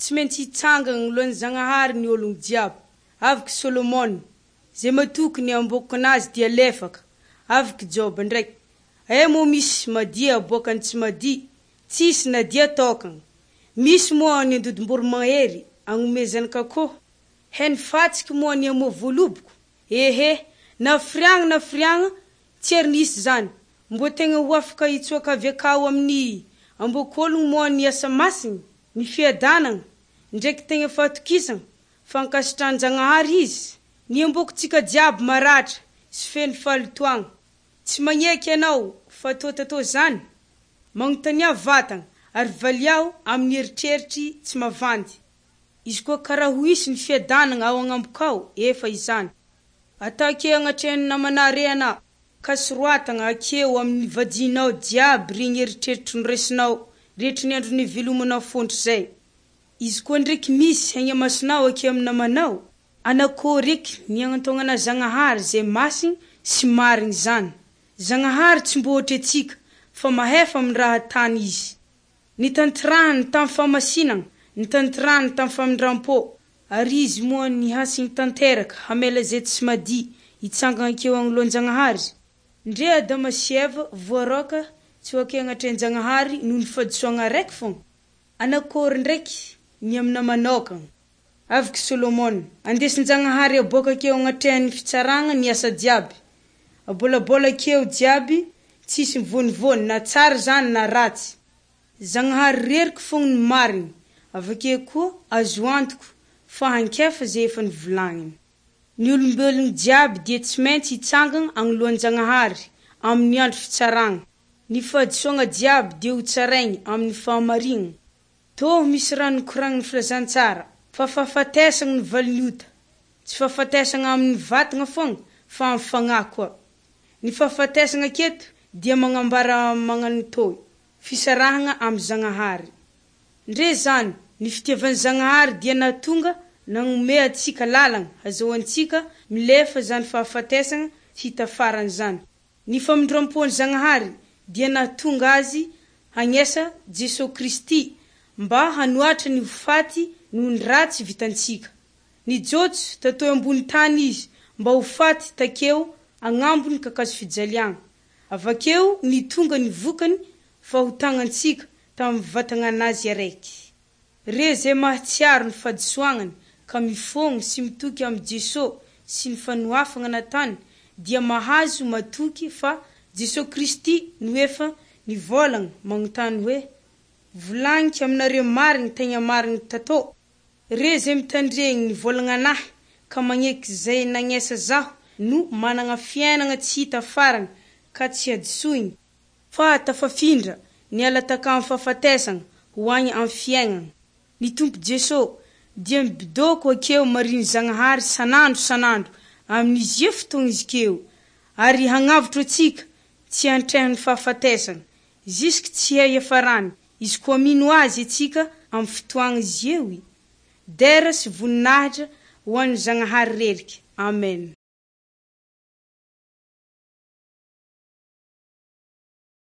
Tsy maintsy hitsangana agnoloan'i Zagnahary ny ôlogno jiaby. Avy Solomona, zay matoky ny ambokinazy dia lefaka. Avy Joba ndraiky, aia moa misy madia aboakan'ny tsy madia? Tsisy na dia tôkana. Misy moa ny andodim-boromahery agnomezany kakôho? He ny fatsiky moa ny amoa voaloboko? Ehe, na firiagna na firiagna tsy ary nisy zany. Mbô tegna ho afaka hitsoaka avy akao amin'ny ambok'ologno moa ny asa masigny, ny fiadanagna, ndraiky tegna fahatokisagna fa ankasitrahan-Jagnahary izy? Ny ambokontsika jiaby maratra sy feno fahalotoagna. Tsy magneky ianao fa tô tatô zany? Magnontania vatagna ary valiao amin'ny eritreritry tsy mavandy. Izy koa karaha ho hisy ny fiadanagna ao agnambokao, efa izany. Atake agnatrehan'ny namanà re anà, ka soroatagna akeo amin'ny vajinao jiaby regny eritreritry noraisinao rehetry ny andro nivelomanao fontry zay. Izy koa ndraiky misy hegna-masonao ake amy namanao, anakôry eky ny agnantognana Zagnahary zay masigny sy marigny zany. Zagnahary tsy mbô ohatry antsika fa mahefa amy raha atany Izy. Nitantirahany tamy fahamasinagna, nitantirahany tamy famindram-pô, ary Izy moa nihasigny tanteraka hamela zay tsy madia hitsangana akeo agnoloan-Jagnahary. Ndre Adama sy Eva voaroaka tsy ho ake agnatrehan-Jagnahary noho ny fahadisoagna araiky fogna. Anakôry ndraiky ny aminà manokagna. Avy Solomona, andesin-Jagnahary aboaka akeo agnatrehan'ny fitsaragna ny asa jiaby. Abôlabôla akeo jiaby, tsisy mivônivôny na tsara zany na ratsy. Zagnahary reriky fogna ny marigny, avakeo koa azo antoko fa hankefa zay efa nivolagniny. Ny olombelogno jiaby dia tsy maintsy hitsangana agnoloan-Jagnahary amin'ny andro fitsaragna. Ny fahadisoagna jiaby dia ho tsaraigny amin'ny fahamarignana. Tô misy raha nokoragnin'ny filazantsara fa fahafatesagna no valin'ny ota. Tsy fahafatesagna amin'ny vatagna fogna fa amin'ny fagnahy koa. Ny fahafatesagna aketo dia magnambara magnano tô fisarahagna amy Zagnahary. Ndre zany, ny fitiavan'i Zagnahary dia nahatonga nagnome antsika lalagna hazahoantsika milefa zany fahafatesagna tsy hita farany zany. Ny famindram-pon'i Zagnahary dia nahatonga Azy hagnesa Jesoa Kristy mba hanoatra ny ho faty noho ny ratsy vitantsika. Nijotso tatoy ambony tany Izy mba ho faty takeo agnambony kakazo fijaliagna. Avakeo nitonga ny vokany fahotagnantsika tamy vatagnanazy araiky. Re zay mahatsiaro ny fahadisoagnany ka mifôgno sy mitoky amy Jeso sy ny fanohafagna natany dia mahazo matoky fa Jesoa Kristy no efa nivôlagna magnontany hoe, Volagniko aminareo marigny tegna marigny tatô, re zay mitandregny ny vôlagnanahy ka magneky zay nagnesa zaho no managna fiainagna tsy hita farany ka tsy hadisoigny fa tafafindra niala takà amy fahafatesagna ho agny amy fiaignana. Ny Tompo Jeso dia mibidôko akeo mariny Zagnahary sanandro sanandro amin'izy io fotoagna izy keo ary hagnavotro antsika tsy hantrehan'ny fahafatesagna jusque tsy hay iafarany izy koa mino Azy atsika amy fotoagna izy eo. Dera sy voninahitra ho an'ny Zagnahary reriky. Amen.